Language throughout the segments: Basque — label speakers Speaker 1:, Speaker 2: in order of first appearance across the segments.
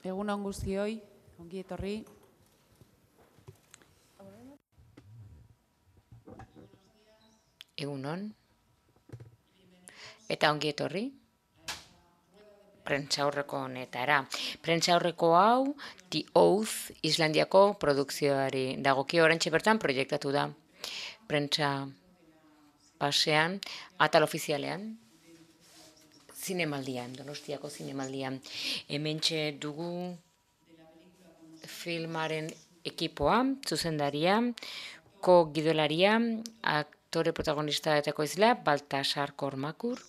Speaker 1: Egun on guztioi, ongi etorri.
Speaker 2: Egun on, eta ongi etorri, prentsaurreko honetara. Prentsaurreko hau, The Oath, Islandiako produkzioari dagokio oraintxe bertan proiektatu da. Prentsa pasean, atal ofizialean, zinemaldian, Donostiako zinemaldian. Hementxe dugu filmaren ekipoa, zuzendaria, ko-gidolaria, aktore protagonista eta ekoizlea, Baltasar Kormakur,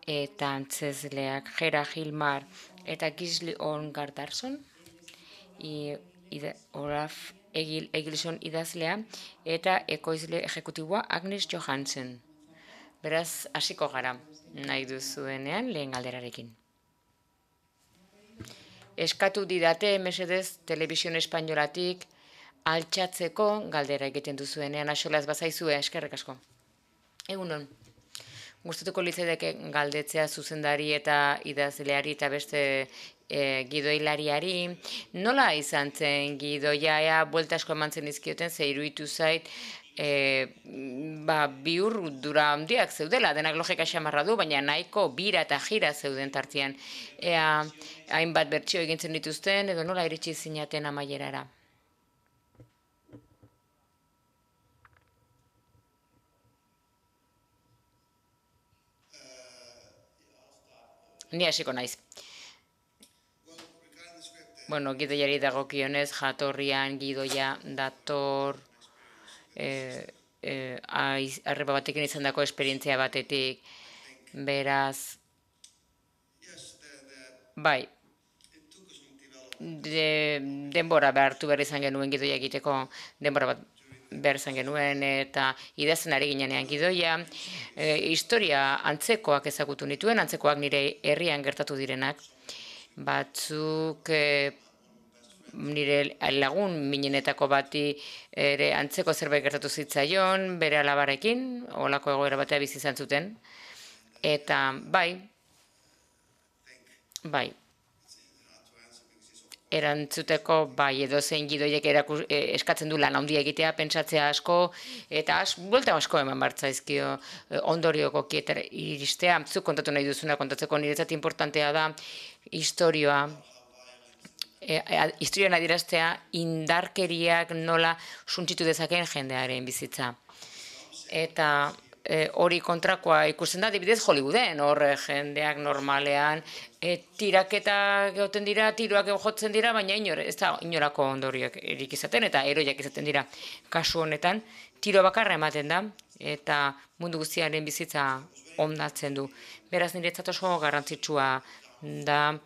Speaker 2: eta antzezleak Gera Gilmar eta Gisli Ongardarsson, Olaf Egilson idazlea, eta ekoizle ejekutiboa Agnes Johansen. Beraz, hasiko gara, nahi duzuenean lehen galderarekin. Eskatu didate, mesedez, Telebisión Espainolatik altxatzeko galdera egiten duzuenean, axolaz bazaizue, eskerrik asko. Egunon. Gustatuko litzaidake galdetzea zuzendari eta idazleari eta beste gidoilariari. Nola izan zen gidoia, buelta asko eman zen izkioten, ze iruditu zait, biur dura handiak zeudela, denak logika xamarra du, baina nahiko bira eta jira zeuden tartean. Hainbat bertsio egintzen dituzten, edo nola iritsi zinaten amaierara. Ni hasiko naiz. Bueno, gidoiari dagokionez, jatorrian gidoia dator arreba batekin izan dako esperientzia batetik, beraz, bai, denbora behartu behar izan genuen gidoia egiteko, denbora bat behar izan genuen, eta idazten ari ginean gidoia, historia antzekoak ezagutu nituen, antzekoak nire herrian gertatu direnak, batzuk nire lagun minenetako bati ere antzeko zerbait gertatu zitzaion, bere alabarekin, olako egoera batea bizi izan zuten, eta bai, erantzuteko edozein gidoiek eskatzen du lan handia egitea, pentsatzea asko, eta buelta asko eman bartzaizkio ondorioko kietara iristea. Zuk kontatu nahi duzuna kontatzeko niretzat importantea da historioan adieraztea indarkeriak nola suntsitu dezakeen jendearen bizitza. Eta hori kontrakoa ikusten da, adibidez Hollywooden, hor jendeak normalean tiraketa geoten dira, tiroak jotzen dira, baina ez da inorako ondorioak erik izaten, eta eroiak izaten dira. Kasu honetan, tiro bakarra ematen da, eta mundu guztiaren bizitza ondatzen du. Beraz, niretzat oso garrantzitsua da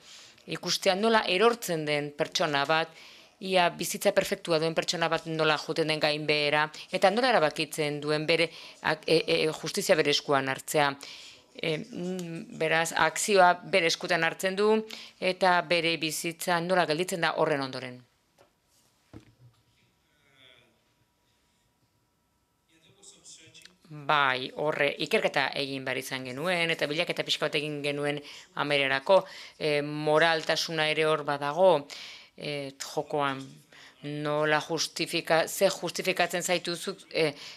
Speaker 2: ikustea nola erortzen den pertsona bat, ia bizitza perfektua duen pertsona bat nola joten den gainbehera, eta nola erabakitzen duen bere justizia bere eskuan hartzea. Beraz, akzioa bere eskutan hartzen du, eta bere bizitza nola gelditzen da horren ondoren. Bai, horre, ikerketa egin behar izan genuen, eta bilaketa pixka bat egin genuen amererako, moraltasuna ere hor badago, jokoan, nola justifikatzen zaituzuk,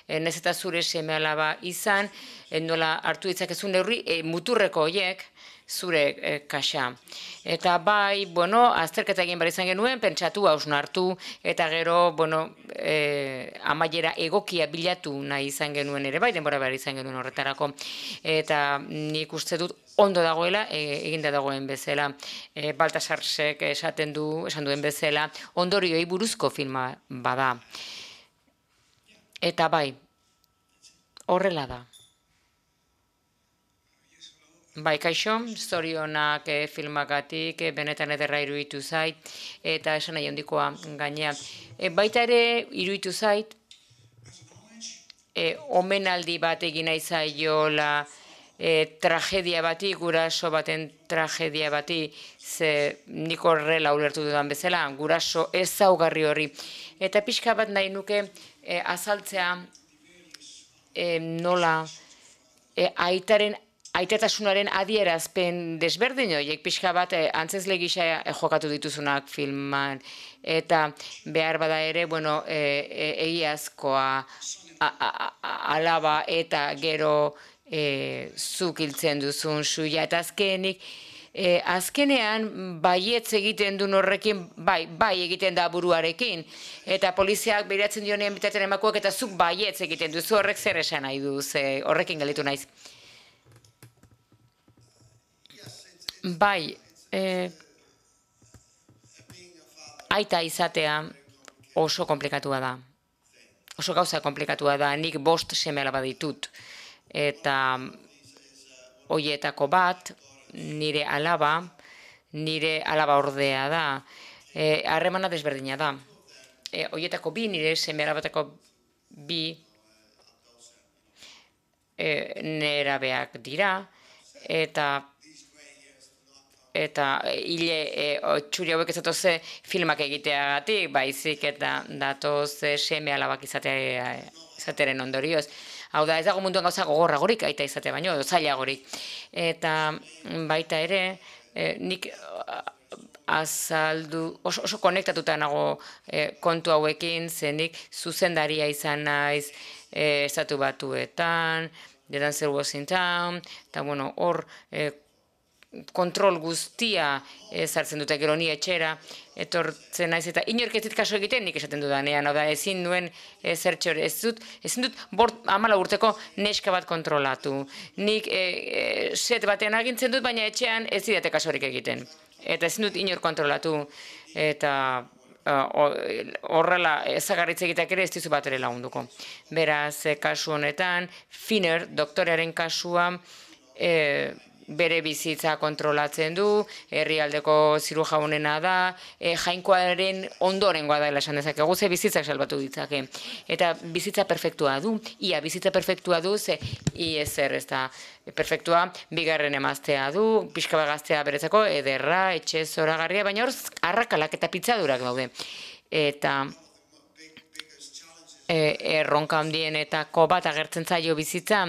Speaker 2: nez eta zure seme alaba izan, nola hartu ditzakezun neurri, muturreko horiek, zure kaxa. Eta bai, azterketa egin behar izan genuen, pentsatu, hausnartu, eta gero, amaiera egokia bilatu nahi izan genuen ere, bai, denbora behar izan genuen horretarako. Eta nik uste dut ondo dagoela, eginda dagoen bezala, Baltasarsek esan duen bezala, ondorioi buruzko filma bada. Eta bai, horrela da. Bai, kaixo, zorionak filmagatik, benetan ederra iruditu zait, eta esan nahi handikoa gainea. Baita ere iruditu zait, omenaldi bat egin nahi zaiola tragedia bati, guraso baten tragedia bati, ze nik horrela ulertu dudan bezala, guraso ezaugarri horri. Eta pixka bat nahi nuke azaltzea nola aitaren aitatasunaren adierazpen desberdin horiek pixka bat antzezle gisa jokatu dituzunak filman, eta behar bada ere, bueno, egiazkoa alaba eta gero zuk hiltzen duzun suia, eta azkenean baietz egiten duen horrekin, bai egiten da buruarekin, eta poliziak behiratzen dionean bitatzen emakuak, eta zuk baietz egiten duzu, horrek zer esan nahi duz, horrekin galitu naiz. Bai, aita izatea oso komplikatua da. Oso gauza komplikatua da, nik 5 seme-alaba ditut. Eta hoietako bat, nire alaba ordea da. Harremana desberdina da. Hoietako 2, nire seme-alabatako 2 nerabeak dira, eta hile txuri hauek ez datoz filmak egiteagatik, baizik eta datoz seme-alabak izateren ondorioz. Hau da, ez dago munduan gauza gogorragorik aita izatea baino, zailagorik. Eta baita ere, nik oso konektatuta nago kontu hauekin, zenik zuzendaria izan naiz Estatu Batuetan, The Dancer Was in Town, eta bueno, hor kontrol guztia sartzen dute gero ni etxera, etortzen naiz eta inork ez dit kaso egiten nik esaten dudanean, hau da, ezin duen zertxore, ezin dut 14 urteko neska bat kontrolatu. Nik set batean agintzen dut, baina etxean ez didate kasorik egiten. Eta ezin dut inor kontrolatu, eta horrela ezagarritz egiteak ere ez dizu bat ere lagunduko. Beraz, kasu honetan, Finner, doktorearen kasua, bere bizitza kontrolatzen du, herrialdeko zirujaunena da, jainkoaren ondorengoa da esan dezakegu, ze bizitzak salbatu ditzake. Eta bizitza perfektua du, ia bizitza perfektua du, ze ISR ez da perfektua, 2. emaztea du, pixka bat gaztea beretzako, ederra, etxe zoragarria, baina hor arrakalak eta pitzadurak daude. Eta erronka handienetako bat agertzen zaio bizitza,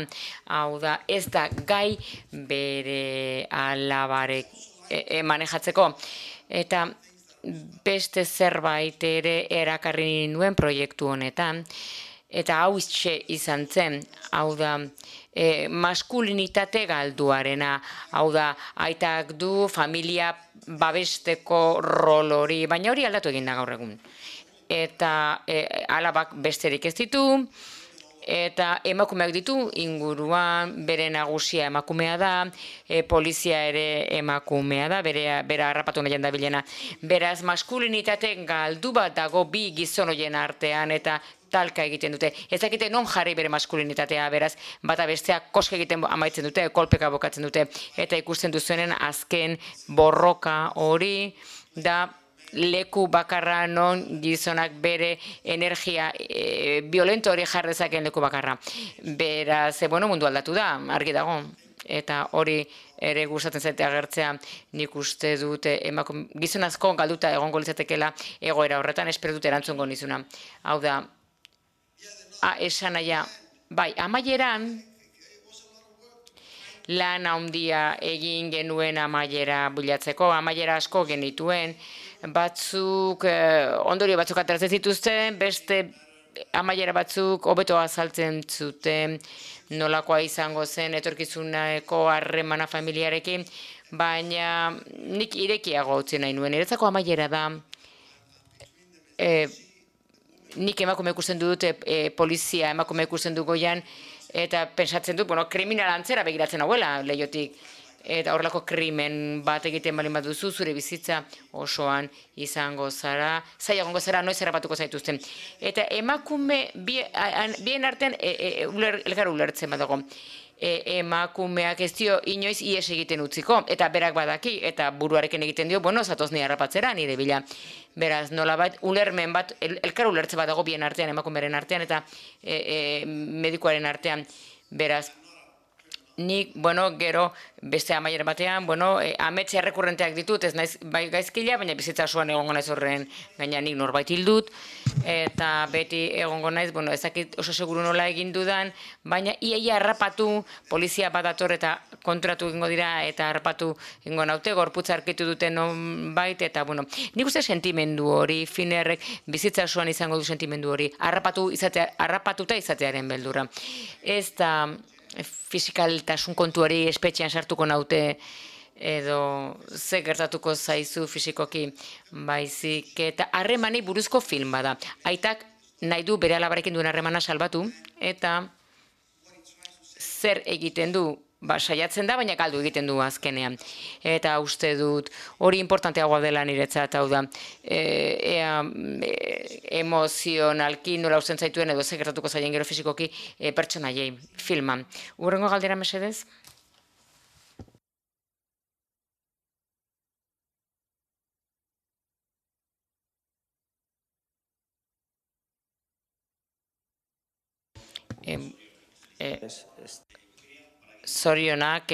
Speaker 2: hau da, ez da gai bere alabarek manejatzeko. Eta beste zerbait ere erakarri nuen proiektu honetan, eta hau izan zen, hau da, maskulinitate galduarena, hau da, aitak du familia babesteko rol hori, baina hori aldatu egin da gaur egun. Eta alabak besterik ez ditu, eta emakumeak ditu inguruan, bere nagusia emakumea da, polizia ere emakumea da, bera harrapatu nahian da bilena. Beraz, maskulinitate galdu bat dago 2 gizon horien artean, eta talka egiten dute. Ez dakite non jarri bere maskulinitatea, beraz, bata bestea koska egiten amaitzen dute, kolpeka bokatzen dute, eta ikusten duzuenen azken borroka hori da, leku bakarra non gizonak bere energia violento hori jarrezaken leku bakarra. Beraz, bueno, mundu aldatu da, argi dago. Eta hori ere gustatzen zaite agertzea, nik uste dute gizon asko galduta egongo litzatekeela egoera horretan, espero dut erantzungo nizuna. Hau da, esan naia, bai, amaieran, lan handia egin genuen amaiera bilatzeko, amaiera asko genituen, batzuk, ondorio batzuk ateratzen zituzten, beste amaiera batzuk hobeto azaltzen zuten, nolakoa izango zen etorkizuneko harremana familiarekin, baina nik irekiago utzi nahi nuen. Niretzako amaiera da, nik emakume ikusten dut, polizia emakume ikusten du goian, eta pensatzen dut, kriminal antzera begiratzen hauela lehiotik. Eta horrelako krimen bat egiten balin bat duzu, zure bizitza osoan izango zara, zailagongo zara, noiz errapatuko zaituzten. Eta emakume, bien artean, elgar ulertzen badago. Emakumeak ez dio inoiz ies egiten utziko, eta berak badaki, eta buruarekin egiten dio, zatoz ni harrapatzera, nire bila. Beraz, nolabait, ulermen bat, elkar ulertze badago bien artean, emakumearen artean, eta medikuaren artean. Beraz, nik, gero beste amaiera batean, ametxe errekurrenteak ditut, ez naiz bai gaizkila, baina bizitza osoan egongo naiz horren gaina nik norbait hildut, eta beti egongo naiz, ezakit oso seguru nola egin dudan, baina iaia harrapatu, polizia badator eta kontratu egingo dira, eta harrapatu egingo naute, gorputza arkitu duten nonbait, eta nik uste sentimendu hori, Finerrek bizitza osoan izango du sentimendu hori, harrapatuta izatearen beldurra. Ez da fisikaltasun kontuari espetxean sartuko naute, edo ze gertatuko zaizu fisikoki, baizik, eta harremani buruzko film bada. Aitak nahi du bere alabarekin duen harremana salbatu, eta zer egiten du, saiatzen da, baina galdu egiten du azkenean. Eta uste dut, hori importanteagoa dela niretzat, hau da, emozionalki nola usten zaituen, edo ze gertatuko zaien gero fisikoki pertsonaiei filman. Hurrengo galdera mesedez? Zorionak,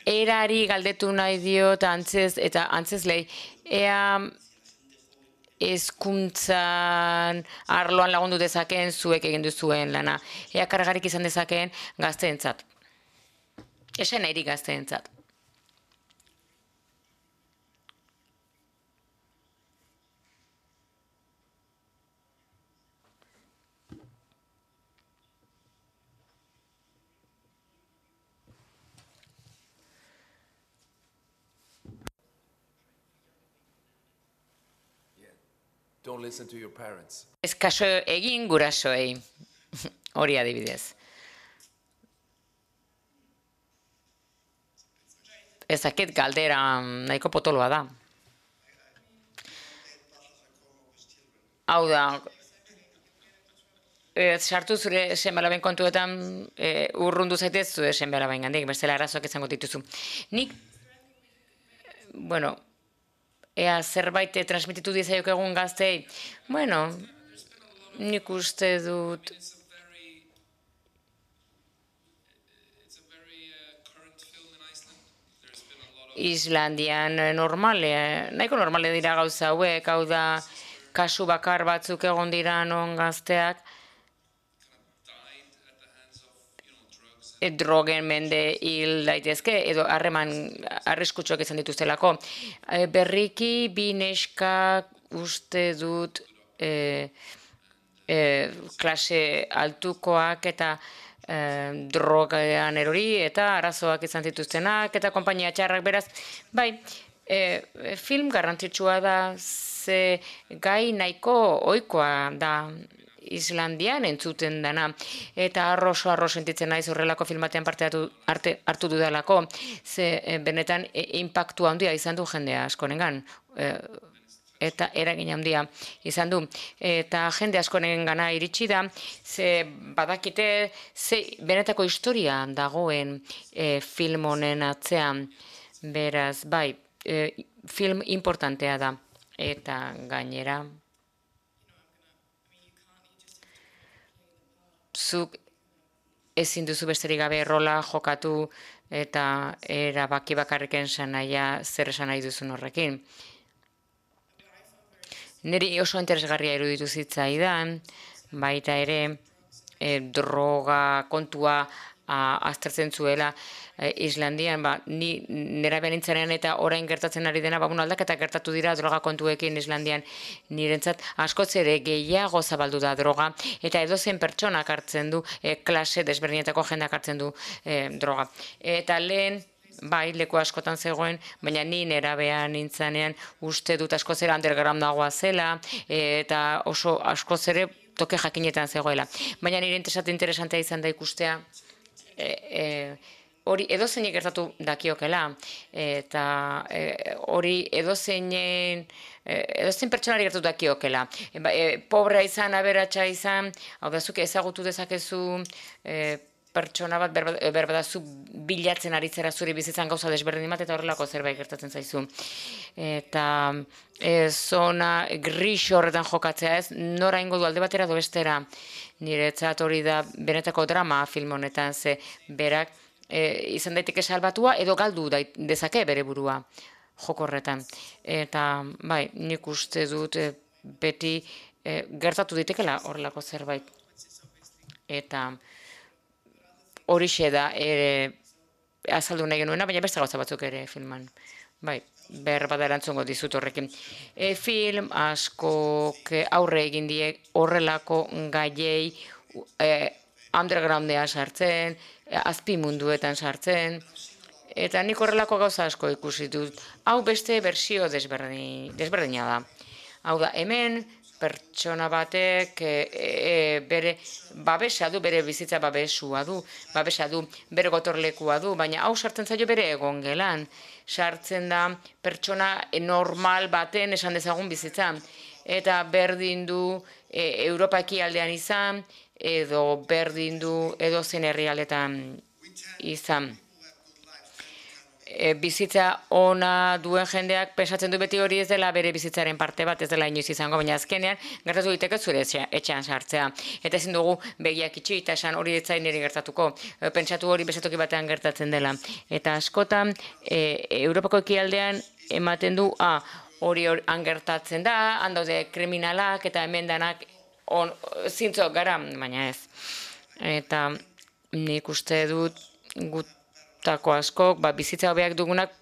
Speaker 2: erari galdetu nahi diot eta antzezlei, ea hezkuntzan arloan lagundu dezakeen zuek egin duzuen lana, ea kargarik izan dezakeen gazteentzat. Esan nahi gazteentzat.
Speaker 3: Don't listen to your parents.
Speaker 2: Ez kaso egin gurasoei, hori adibidez. Ezakit galdera nahiko potoloa da. Hau da, sartu zure seme-alaben kontuetan urrundu zaitez zure seme-alaben gandik, bestela arazoak izango dituzu. Nik, ea zerbait transmititu dizaiok egun gaztei, nik uste dut Islandian nahiko normale dira gauza hauek, hau da kasu bakar batzuk egon dira non gazteak drogen mende hil daitezke, edo harreman arriskutsuak izan dituztelako. Berriki, bi neskak uste dut klase altukoak eta drogean erori eta arazoak izan zituztenak eta konpainia txarrak beraz. Bai, film garrantzitsua da, ze gai nahiko ohikoa da Islandian entzuten dana, eta arro sentitzen naiz horrelako filmatean parte hartu dudalako, ze benetan inpaktu handia izan du jendea askorengan, eta eragin handia izan du. Eta jende askorengana iritsi da, ze badakite ze benetako historia dagoen film honen atzean, beraz, bai, film importantea da, eta gainera zuk ezin duzu besterik gabe rola jokatu eta erabaki bakarriken sanaia zer esan nahi duzun horrekin. Niri oso interesgarria iruditu zitzaidan, baita ere droga kontua aztertzen zuela Islandian, ni nerabean nintzenean eta orain gertatzen ari dena, aldaketa gertatu dira droga kontuekin Islandian nirentzat, askoz ere gehiago zabaldu da droga, eta edozein pertsonak hartzen du, klase desberdinetako jendeak hartzen du droga. Eta lehen, bai, leku askotan zegoen, baina ni nerabean nintzenean uste dut askoz ere undergroundagoa zela, eta oso askoz ere toke jakinetan zegoela. Baina nire interesantea izan da ikustea, hori edozeinek gertatu dakiokela, eta hori edozein pertsonari gertatu dakiokela. Pobrea izan, aberatsa izan, hau da, zuk ezagutu dezakezu pertsona bat, berbadazu bilatzen aritzera zuri bizitzan gauza desberdin bat, eta horrelako zerbait gertatzen zaizu. Eta zona gris horretan jokatzea ez, nora ingo du alde batera edo bestera. Niretzat hori da benetako drama film honetan, ze berak izan daiteke salbatua edo galdu dezake bere burua joko horretan. Eta bai, nik uste dut beti gertatu ditekela horrelako zerbait. Eta horixe da azaldu nahi genuena, baina beste gauza batzuk ere filman. Bai, berbada erantzungo dizut horrekin. Film askok aurre egin die horrelako gaiei undergroundean sartzen, azpi munduetan sartzen, eta nik horrelako gauza asko ikusi dut. Hau beste bersio desberdina da. Hau da, hemen pertsona batek bere babesa du, bere bizitza babesa du, bere gotorlekua du, baina hau sartzen zaio bere egongelan. Sartzen da pertsona normal baten esan dezagun bizitza. Eta berdin du Europa ekialdean izan, edo berdin du edo zen herrialdetan izan. Bizitza ona duen jendeak pensatzen du beti hori ez dela bere bizitzaren parte bat, ez dela inoiz izango, baina azkenean gertatu diteke zure etxean sartzea. Eta ezin dugu begiak itxi eta esan hori etzain niri gertatuko. Pentsatu hori bezatoki batean gertatzen dela. Eta askotan Europako ekialdean ematen du hori han gertatzen da, han daude kriminalak eta hemen danak zintzok gara, baina ez. Eta nik uste dut gutako askok, bizitza hobeak dugunak,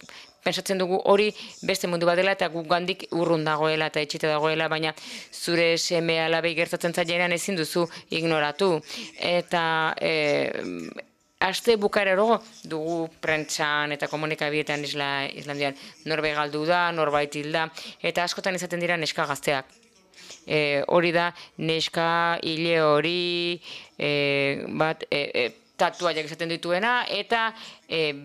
Speaker 2: pentsatzen dugu hori beste mundu bat dela eta gugandik urrun dagoela eta etxita dagoela, baina zure seme alabei gertatzen zailean ezin duzu ignoratu. Eta aste bukarero dugu prentsan eta komunikabietan Islandian norbait galdu da, norbait hil da, eta askotan izaten dira neska gazteak. Hori da, neska hile hori bat tatuaiak izaten dituena, eta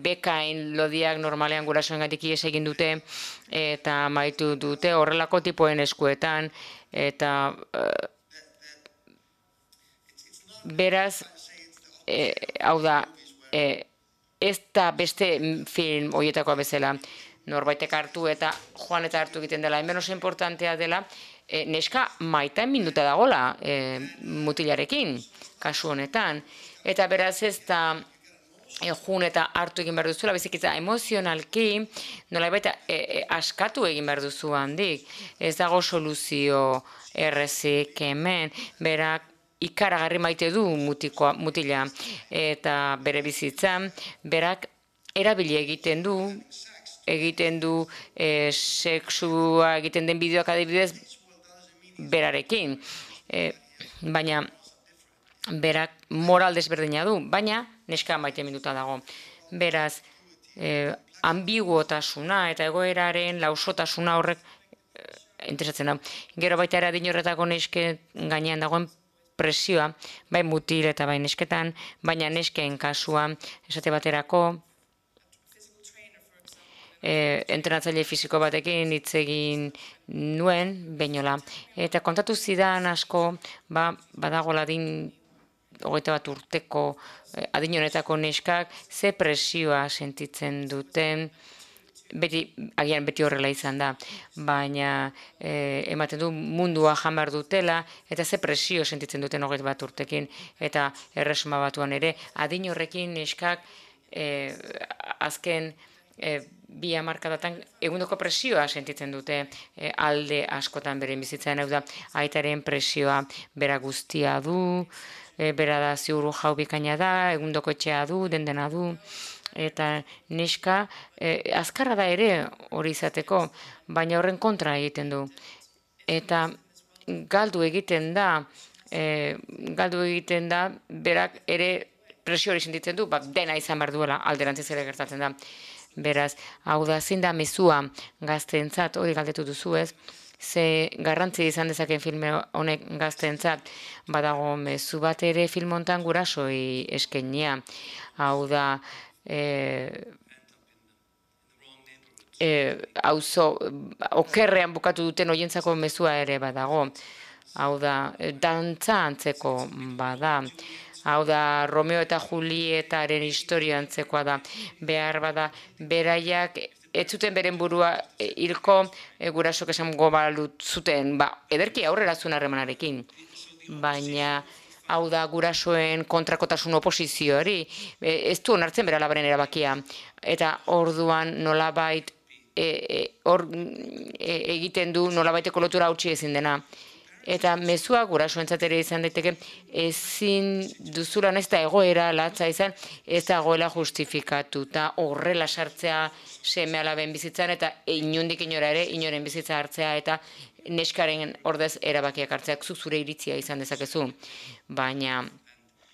Speaker 2: bekain lodiak normalean gurasoengatik ihes egin dute, eta maitu dute horrelako tipoen eskuetan, eta beraz, hau da, ez da beste film horietakoa bezala norbaitek hartu eta joan eta hartu egiten dela. Hemen oso importantea dela, neska maitan minduta dagola mutilarekin, kasu honetan. Eta beraz ez da jun eta hartu egin behar duzuela, bizikitza emozionalki, nolabait askatu egin behar duzu handik. Ez dago soluzio errezik hemen, berak ikaragarri maite du mutila eta bere bizitzan, berak erabili egiten du sexua egiten den bideoak adibidez berarekin, baina berak moral desberdina du, baina neska maite minduta dago. Beraz, ambiguotasuna eta egoeraren lausotasuna horrek interesatzen da. Gero baita ere adin horretako nesken gainean dagoen presioa, bai mutil eta bai nesketan, baina nesken kasuan esate baterako entrenatzaile fisiko batekin hitz egin nuen, beinola. Eta kontatu zidan asko, badagoela adin 21 urteko adin honetako neskak ze presioa sentitzen duten, agian beti horrela izan da, baina ematen du mundua jan behar dutela, eta ze presio sentitzen duten 21 urtekin, eta Erresuma Batuan ere, adin horrekin neskak azken 2 hamarkadatan egundoko presioa sentitzen dute alde askotan beren bizitzan, hau da, aitaren presioa bera guztia du, bera da ziuru jau bikaina da, egundoko etxea du, dendena du, eta neska azkarra da ere hori izateko, baina horren kontra egiten du. Eta galdu egiten da, berak ere presio hori sentitzen du, dena izan behar duela, alderantziz ere gertatzen da. Beraz, hau da, zein da mezua gazteentzat, hori galdetu duzu ez, ze garrantzi izan dezaken filme honek gazteentzat, badago mezu bat ere film hontan gurasoi eskenia. Hau da, okerrean bukatu duten hoientzako mezua ere badago. Hau da, dantza antzeko bada. Hau da, Romeo eta Julietaren historia antzekoa da. Behar bada, beraiak ez zuten beren burua hilko gurasok esan gobalut zuten, ederki aurrera zuen harremanarekin. Baina hau da gurasoen kontrakotasun oposizioari, ez du onartzen bere alabaren erabakia, eta orduan nolabait egiten du nolabaiteko lotura hautsi ezin dena. Eta mezua gurasoentzat ere izan daiteke ezin duzula ez da egoera latza izan, ez dagoela justifikatuta horrela sartzea seme alaben bizitzan eta inondik inora ere inoren bizitza hartzea eta neskaren ordez erabakiak hartzeak zure iritzia izan dezakezu. Baina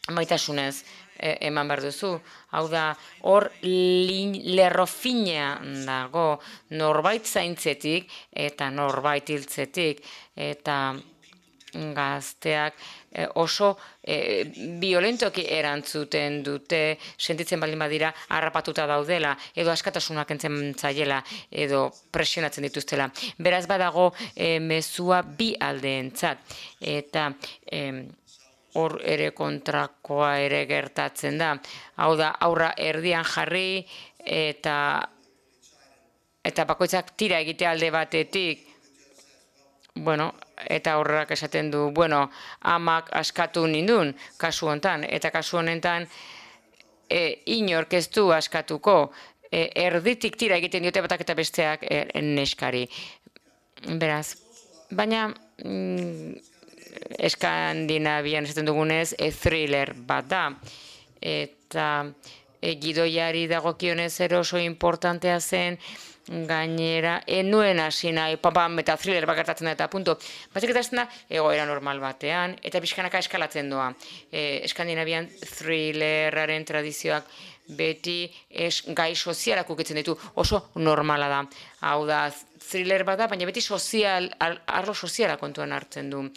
Speaker 2: maitasunez eman behar duzu. Hau da, hor lerro fina dago norbait zaintzetik eta norbait hiltzetik eta gazteak oso violentoki erantzuten dute, sentitzen baldin badira harrapatuta daudela, edo askatasunak entzen zaiela, edo presionatzen dituztela. Beraz badago mezua bi aldeentzat, eta hor ere kontrakoa ere gertatzen da. Hau da, aurra erdian jarri eta bakoitzak tira egite alde batetik, eta horrak esaten du, amak askatu nindun, kasu honetan, eta kasu honetan inork ez du askatuko, erditik tira egiten diote batak eta besteak neskari. Beraz, baina Eskandinavian esaten dugunez, thriller bat da, eta gidoiari dagokionez ere oso importantea zen, gainera, enuen hasi nahi, pam, eta thriller bat gertatzen da, eta punto. Batzuk eta da, egoera normal batean, eta pixkanaka eskalatzen doa. Eskandinavian thrilleraren tradizioak beti gai sozialak ukitzen ditu, oso normala da. Hau da, thriller bat da, baina beti arlo soziala kontuan hartzen du.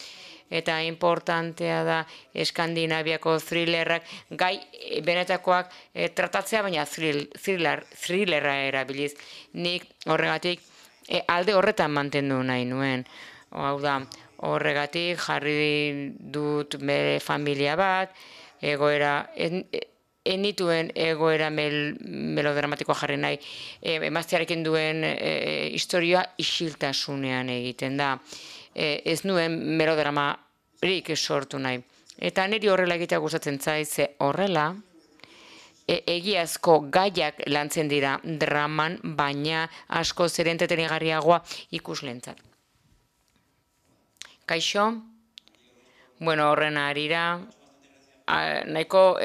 Speaker 2: Eta importantea da Eskandinaviako thrillerrak gai benetakoak tratatzea, baina thrillerra erabiliz. Nik horregatik alde horretan mantendu nahi nuen. Hau da, horregatik jarri dut bere familia bat, egoera, enituen egoera melodramatikoa jarri nahi. Emaztearekin duen historia isiltasunean egiten da. Ez nuen melodramarik sortu nahi. Eta niri horrela egitea gustatzen zait, ze horrela egiazko gaiak lantzen dira draman, baina asko zer entretenigarriagoa ikuslentzat. Kaixo? Horren harira, nahiko,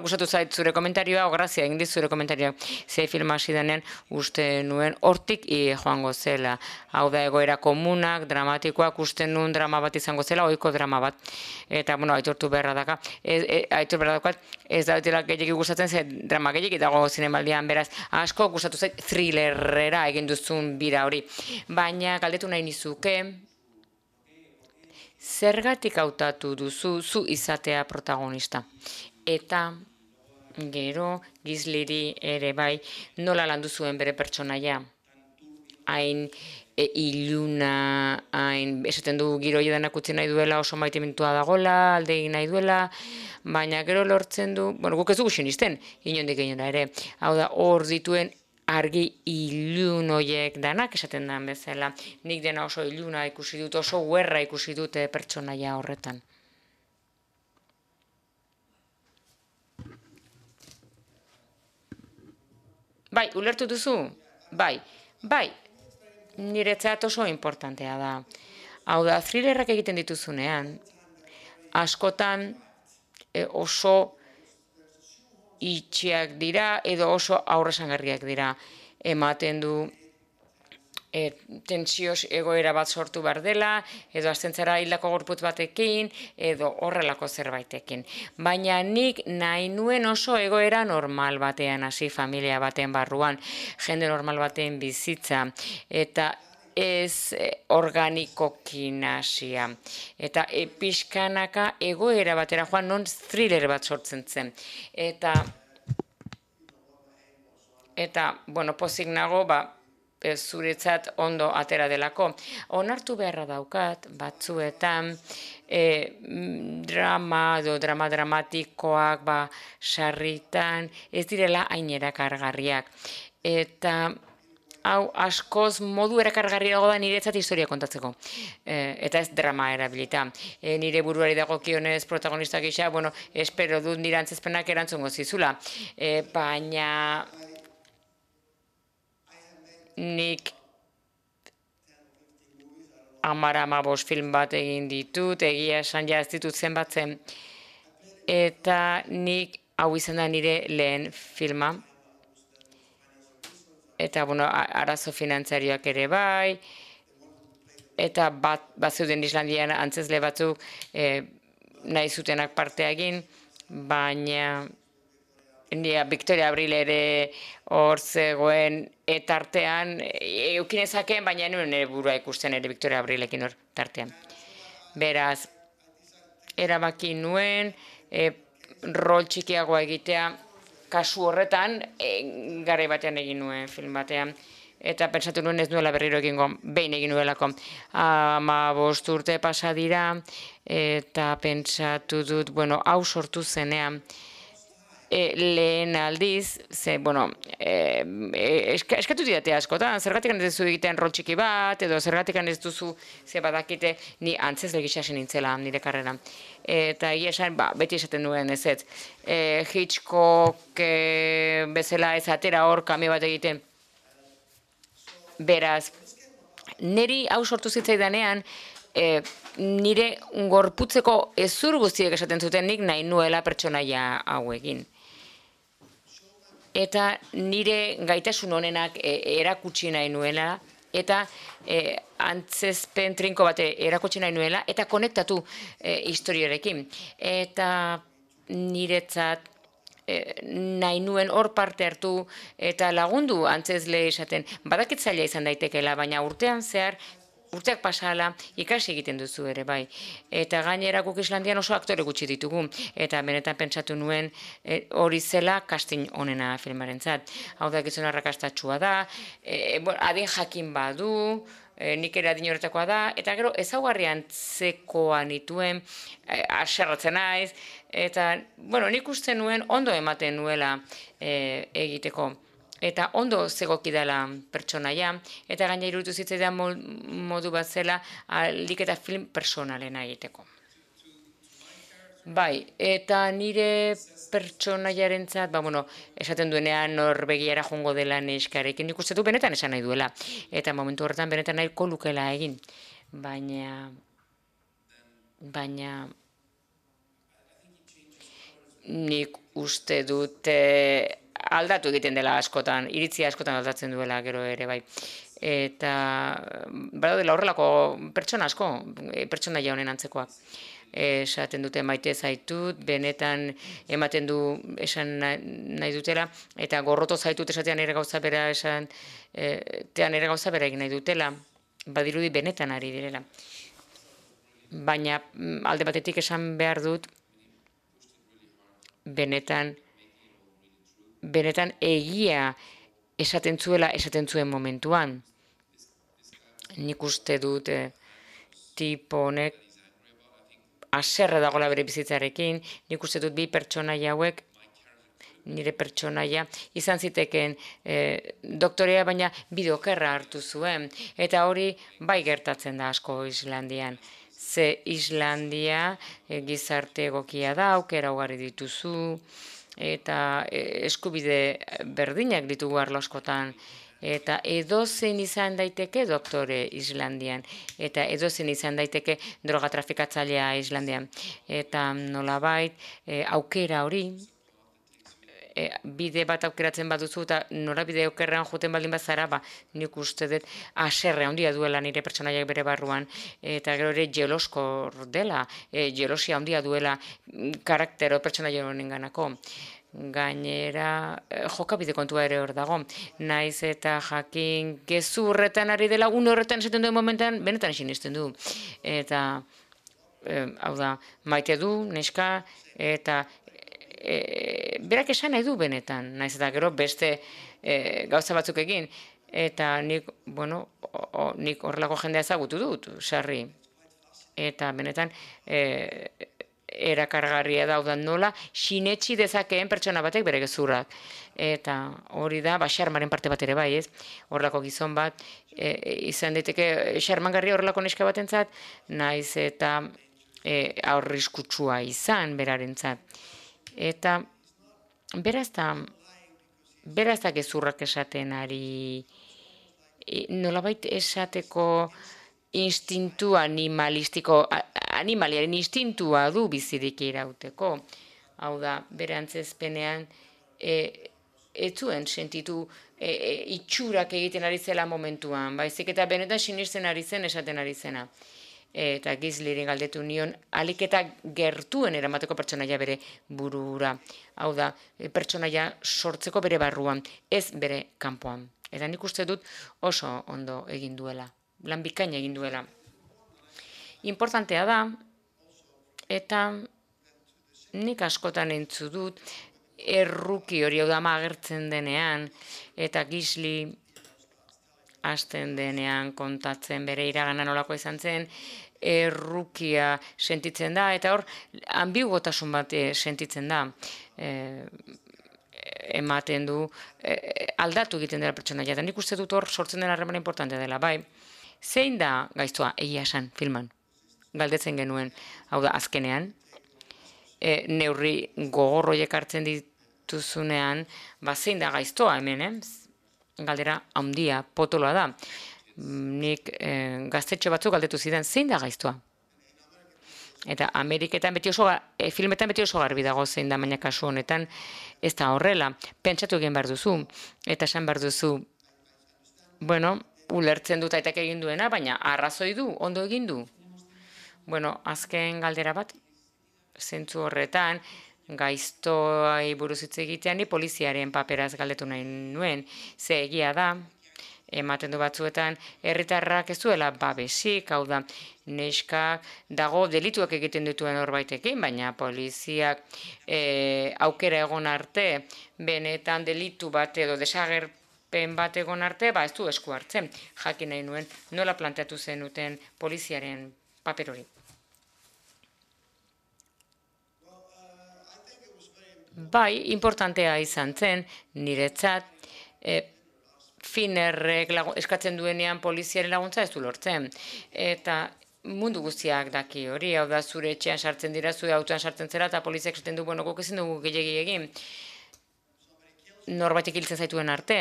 Speaker 2: gustatu zait zure komentarioa, grazia egin zure komentarioa, ze filma hasi denean uste nuen hortik joango zela. Hau da egoera komunak, dramatikoak, uste nuen drama bat izango zela, ohiko drama bat. Eta, aitortu beharra dakat, ez da dutela gehiagik gustatzen, ze drama gehiagik dago zinemaldian, beraz, asko gustatu zait thrillerera egin duzun bira hori. Baina, galdetu nahi nizuke, zergatik hautatu duzu zu izatea protagonista. Eta gero Gisleri ere bai nola landu zuen bere pertsonaia. Hain iluna, hain esaten du giro edanak utzi nahi duela, oso maitemintua dagoela, alde egin nahi duela, baina gero lortzen du, guk ez dugu sinisten, inondik inora ere. Hau da, hor dituen argi ilun horiek danak esaten den bezala. Nik dena oso iluna ikusi dut, oso guerra ikusi dute pertsonaia horretan. Bai, ulertu duzu? Bai, niretzat oso importantea da. Hau da, thrillerrak egiten dituzunean, askotan oso itxiak dira edo oso aurresangarriak dira. Ematen du tentsios egoera bat sortu behar dela, edo aztentzara hildako gorputz batekin, edo horrelako zerbaitekin. Baina nik nahi nuen oso egoera normal batean hasi, familia baten barruan, jende normal baten bizitza, eta ez organikokin hasia. Eta pixkanaka egoera batera joan non thriller bat sortzen zen. Eta pozik nago, zuretzat ondo atera delako. Onartu beharra daukat, batzuetan, drama dramatikoak, sarritan, ez direla hain erakargarriak. Eta hau askoz modu erakargarriago da niretzat historia kontatzeko. Eta ez drama erabilita. Nire buruari dagokionez protagonista gisa, bueno, espero dut nire antzezpenak erantzungo zizula. Baina nik 10-15 film bat egin ditut, egia esan ja ez ditut zenbatzen. Eta nik hau izan da nire lehen filma. Eta, bueno, arazo finantzarioak ere bai, eta bazeuden Islandian antzezle batzuk nahi zutenak partea egin, baina Victoria Abril ere hor zegoen tartean, eukinezakeen, baina nuen nire burua ikusten ere Victoria Abrilekin hor tartean. Beraz, erabaki nuen, rol txikiagoa egitea, kasu horretan, garai batean egin nuen film batean. Eta pentsatu nuen ez nuela berriro egingo, behin egin nuelako. 15 urte pasa dira, eta pentsatu dut, bueno, hau sortu zenean, lehen aldiz, bueno, eskatu didate askotan, zergatik ez duzu egiten rol txiki bat, edo zergatik ez duzu ze badakite ni antzezle gisa nintzela nire karreran. Eta egia esan, beti esaten duen ez ez. Hitchcock bezala ez atera hor kamio bat egiten. Beraz, niri hau sortu zitzaidanean, nire gorputzeko ezur guztiek esaten zuten nik nahi nuela pertsonaia hauekin. Eta nire gaitasun honenak erakutsi nahi nuela, eta antzezpen trinko bat erakutsi nahi nuela, eta konektatu historiarekin. Eta niretzat nahi nuen hor parte hartu eta lagundu antzezle esaten. Badakit zaila izan daitekeela, baina urtean zehar, urteak pasala ikasi egiten duzu ere, bai. Eta gainera guk Islandian oso aktore gutxi ditugu. Eta benetan pentsatu nuen hori zela casting onena filmarentzat. Hau da gizon arrakastatsua da, adin jakin badu, nik ere adin horretakoa da, eta gero ezaugarri antzekoa nituen, haserratzen naiz, eta, bueno, nik uste nuen ondo ematen nuela egiteko. Eta ondo zegoki dela pertsonaia, eta gaina iruditu zitzaidan modu bat zela ahalik eta film personalena egiteko. Bai, eta nire pertsonaiarentzat, bueno, esaten duenean Norvegiara joango dela neskarekin, nik uste du benetan esan nahi duela. Eta momentu horretan benetan nahiko lukela egin. Baina nik uste dut aldatu egiten dela askotan, iritzia askotan aldatzen duela gero ere bai. Eta badaudela horrelako pertsona asko, pertsonaia honen antzekoak. Esaten dute maite zaitut, benetan ematen du esan nahi dutela, eta gorroto zaitut esatean ere gauza bera esan, tean ere gauza bera egin nahi dutela, badirudi benetan ari direla. Baina alde batetik esan behar dut, benetan egia esaten zuen momentuan. Nik uste dut tipo honek haserre dagoela bere bizitzarekin, nik uste dut bi pertsonaia hauek, nire pertsonaia, izan ziteken doktorea, baina bideokerra hartu zuen. Eta hori bai gertatzen da asko Islandian. Ze Islandia gizarte egokia da, aukera ugari dituzu, eta eskubide berdinak ditugu arlo askotan. Eta edozein izan daiteke doktore Islandian, eta edozein izan daiteke droga trafikatzailea Islandian. Eta nolabait aukera hori, bide bat aukeratzen baduzu eta norabide okerrean joten baldin bazara, nik uste dut haserre handia duela nire pertsonaiak bere barruan, eta gero ere jeloskor dela, jelosia handia duela karaktero pertsonaia honenganako. Gainera, jokabide kontua ere hor dago. Naiz eta jakin gezurretan ari dela, une horretan esaten duen momentan, benetan sinisten du. Eta, hau da, maite du, neska, eta berak esan nahi du benetan, naiz eta gero beste gauza batzuk egin. Eta nik, bueno, nik horrelako jendea ezagutu dut, sarri. Eta benetan, erakargarria da nola sinetsi dezakeen pertsona batek bere gezurrak. Eta hori da, xarmaren parte bat ere bai, ez? Horrelako gizon bat, izan daiteke xarmangarria horrelako neska batentzat, naiz eta aurriskutsua izan berarentzat. Eta beraz da gezurrak esaten ari, nolabait esateko instintu animalistiko, animaliaren instintua du bizirik irauteko. Hau da, bere antzezpenean ez zuen sentitu itxurak egiten ari zela momentuan, baizik eta benetan sinisten ari zen esaten ari zena. Eta Gisliren galdetu nion, alik eta gertuen eramateko pertsonaia bere burura. Hau da, pertsonaia sortzeko bere barruan, ez bere kanpoan. Eta nik uste dut oso ondo egin duela, lan bikaina egin duela. Importantea da, eta nik askotan entzu dut, erruki hori hau da agertzen denean, eta Gisli hasten denean kontatzen bere iragana nolako izan zen, errukia sentitzen da, eta hor, ambiguotasun bat sentitzen da. Ematen du, aldatu egiten dela pertsonaia, eta nik uste dut hor sortzen den harremana importantea dela, bai. Zein da gaiztoa, egia esan, filman? Galdetzen genuen, hau da, azkenean, neurri gogorroiek hartzen dituzunean, zein da gaiztoa hemen, galdera handia, potoloa da. Nik gaztetxo batzuk galdetu zidan, zein da gaiztoa? Eta Ameriketan filmetan beti oso garbi dago zein da, baina kasu honetan ez da horrela. Pentsatu egin behar duzu, eta esan behar duzu, bueno, ulertzen dut aitak egin duena, baina arrazoi du, ondo egin du. Bueno, azken galdera bat, zentzu horretan, gaiztoai buruz hitz egitean, ni poliziaren paperaz galdetu nahi nuen, ze egia da, ematen du batzuetan, herritarrak ez duela babesik, hau da, neskak dago delituak egiten dituen horbaitekin, baina poliziak aukera egon arte, benetan delitu bat edo desagerpen bat egon arte, ez du esku hartzen. Jakin nahi nuen, nola planteatu zenuten poliziaren paper hori. Bai, importantea izan zen, niretzat, Finnerrek eskatzen duenean poliziaren laguntza ez du lortzen. Eta mundu guztiak daki hori, hau da zure etxean sartzen dira, zure autoan sartzen zera, eta poliziak esaten du, bueno, guk ezin dugu gehiegi egin. Norbaitek hiltzen zaituen arte.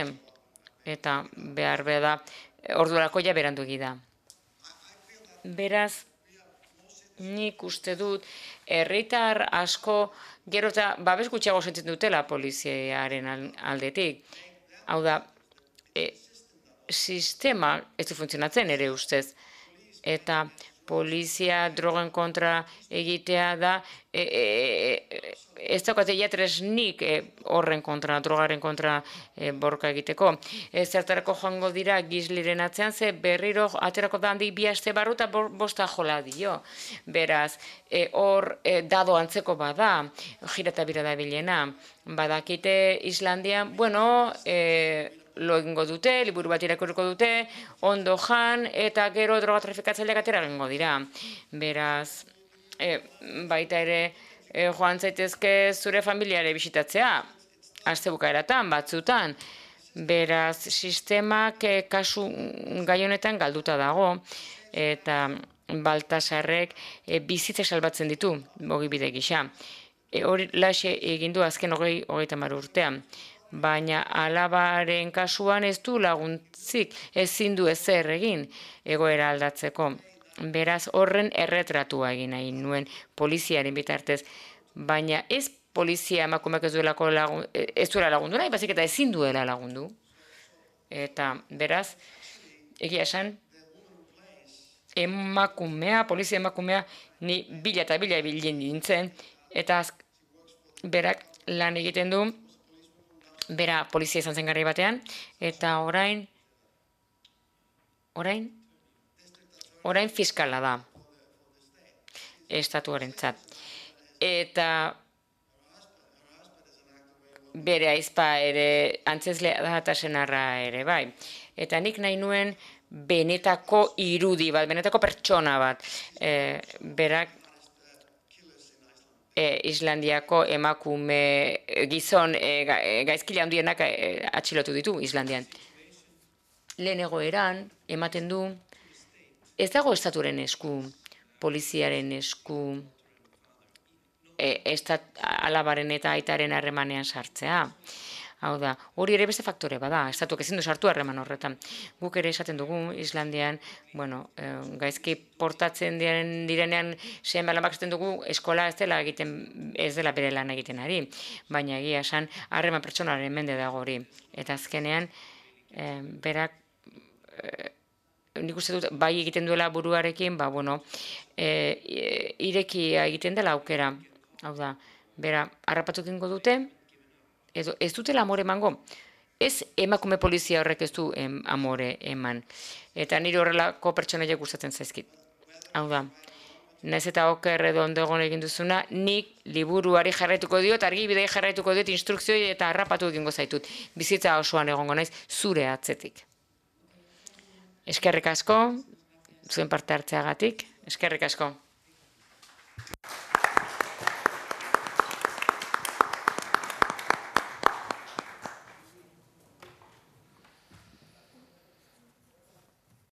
Speaker 2: Eta behar da, ordurako ja berandu da. Beraz, nik uste dut, herritar asko, gero eta babes gutxiago sentitzen dutela poliziaren aldetik. Hau da, sistema ez du funtzionatzen ere ustez. Eta polizia drogen kontra egitea da, ez daukate tresnik horren kontra, drogaren kontra borka egiteko. Zertarako joango dira Gisliren atzean, ze berriro aterako da handik 2 aste barru eta 5 jola dio. Beraz, hor dado antzeko bada, jira eta bira da bilena. Badakite Islandian, bueno, lo egingo dute, liburu bat irakurriko dute, ondo jan, eta gero droga trafikatzaileak atera egingo dira. Beraz, baita ere, joan zaitezke zure familiare bisitatzea, aste bukaeratan, batzutan. Beraz, sistemak kasu gai honetan galduta dago, eta Baltasarrek bizitza salbatzen ditu, ogibide gisa. Hori laxe egin du azken 30 urtean. Baina alabaren kasuan ez du laguntzik, ezin du ezer egin egoera aldatzeko. Beraz, horren erretratua egin nahi nuen poliziaren bitartez. Baina ez polizia emakumeak ez duela lagundu nahi, baizik eta ezin duela lagundu. Eta beraz, egia esan, polizia emakumea, ni bila eta bila bilin nintzen, eta berak lan egiten du, bera polizia izan zen garai batean, eta orain fiskala da, estatuarentzat. Eta bere aizpa ere, antzezlea da eta senarra ere, bai. Eta nik nahi nuen benetako irudi bat, benetako pertsona bat. Berak Islandiako emakume gizon gaizkile handienak atxilotu ditu Islandian. Lehen egoeran, ematen du, ez dago estaturen esku, poliziaren esku, alabaren eta aitaren harremanean sartzea. Hau da, hori ere beste faktore bada, estatuak ezin du sartu harreman horretan. Guk ere esaten dugu Islandian, gaizki portatzen direnean seme-alabak esaten dugu eskola ez dela bere lan egiten ari, baina egia esan harreman pertsonaren mende dago hori. Eta azkenean, berak, nik uste dut, bai egiten duela buruarekin, irekia egiten dela aukera. Hau da, bera, harrapatu egingo dute, edo ez dutela amore emango. Ez emakume polizia horrek ez du amore eman. Eta nire horrelako pertsonaiak gustatzen zaizkit. Hau da, naiz eta oker edo ondo egon egin duzuna, nik liburuari jarraituko diot, argibidei jarraituko diot, instrukzioi eta harrapatu egingo zaitut. Bizitza osoan egongo naiz, zure atzetik. Eskerrik asko, zuen parte hartzeagatik, eskerrik asko.